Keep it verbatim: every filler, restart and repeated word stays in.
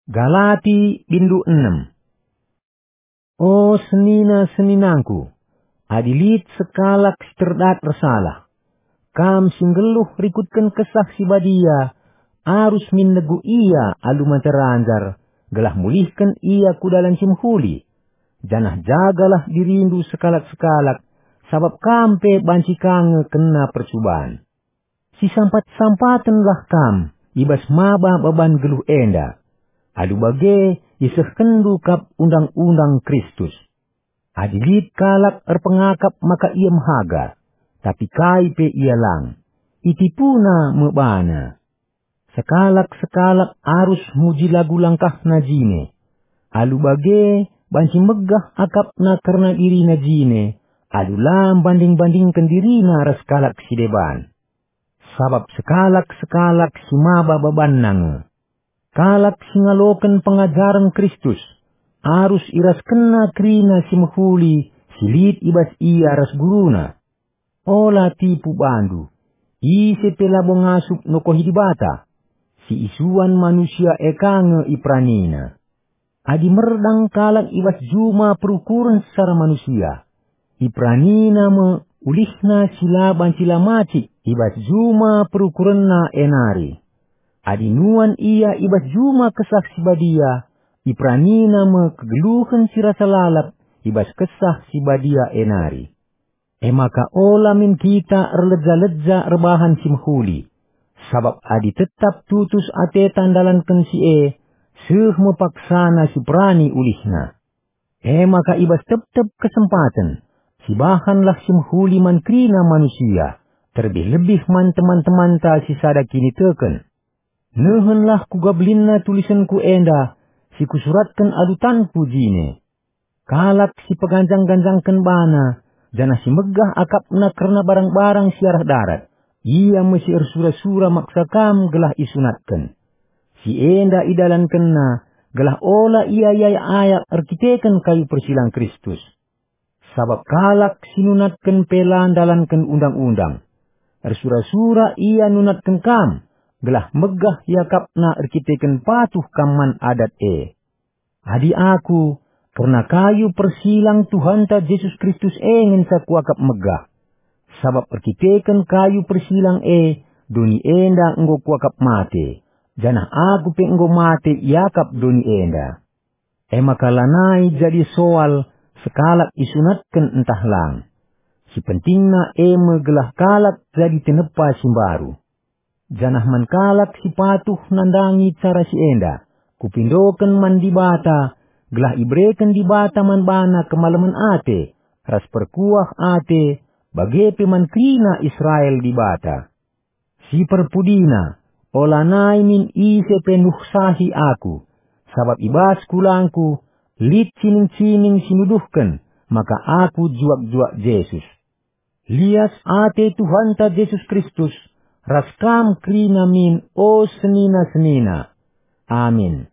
Galati bindu enem. O senina-seninangku, adi lit sekalak si terdat ersalah, kam si nggeluh rikutken Kesah Si Badia, arus min negu ia alu mate ranjar, gelah mulihken ia ku dalan si mehuli. Janah jagalah dirindu sekalak-sekalak, sabap kam pe banci ka nge kena percuban. Sisampat-sampatenlah kam i bas maba baban geluh enda. Alu bage isehkenndu kap undang-undang Kristus. Adi lit kalak erpengakap maka ia mehaga, tapi kai pe ia lang, itipuna me bana. Sekalak-sekalak arus muji lagu langkahna jine. Alu bage banci megah akapna kerna dirina jine, alu la mbanding-bandingken dirina ras kalak si deban. Sabap sekalak-sekalak si maba babanna nge. Kalak si ngaloken pengajaren Kristus, arus iraskenna kerina si mehuli si lit i bas ia ras guruna. Ola tipu bandu, ise pe labo ngasup nokohi Dibata, si isuan manusia e ka nge iperanina. Adi merdang kalak i bas juma perukuren secara manusia, iperanina me ulihna si la banci la macik i bas juma perukurenna e nari. Adi nuan ia i bas juma Kesah Si Badia, iperanina me kegeluhen si rasa lalap i bas Kesah Si Badia e nari. E maka ola min kita erleja-leja erbahan si mehuli, sabap adi tetap tutus ateta ndalanken si e, seh me paksana si perani ulihna. E maka i bas tep-tep kesempaten, sibahanlah si mehuli man kerina manusia, terlebih-lebih man teman-temanta si sada kiniteken. Nehenlah kuga belinna tulisenku enda, si kusuratken alu tanku jine. Kalak si peganjang-ganjangken bana, janah si megah akapna kerna barang-barang si arah darat, ia me si ersura-sura maksa kam gelah isunatken. Si enda idalankenna, gelah ola ia iayak-ayak erkiteken kayu persilang Kristus. Sabap kalak si nunatken pe la ndalanken undang-undang. Ersura-sura ia nunatken kam, gelah megah iakapna erkiteken patuh kam man adat e. Adi aku, kerna kayu persilang Tuhanta Jesus Kristus e ngenca kuakap megah. Sabap erkiteken kayu persilang e, doni enda enggo kuakap mate, janah aku pe enggo mate iakap doni enda. E maka lanai jadi soal sekalak isunatken ntah lang. Si pentingna e me gelah kalak jadi tinepa si mbaru. Janah man kalak si patuh nandangi cara si enda, kupindoken man Dibata, gelah ibereken Dibata man bana kemalemen ate, ras perkuah ate, bage pe man kerina Israel Dibata. Si perpudina, olanai min ise pe nuhsahi aku, sabap i bas kulangku lit cining-cining si nuduhken maka aku juak-juak Jesus. Lias ate Tuhanta Jesus Kristus ras kam kerina min, o senina-senina. Amin.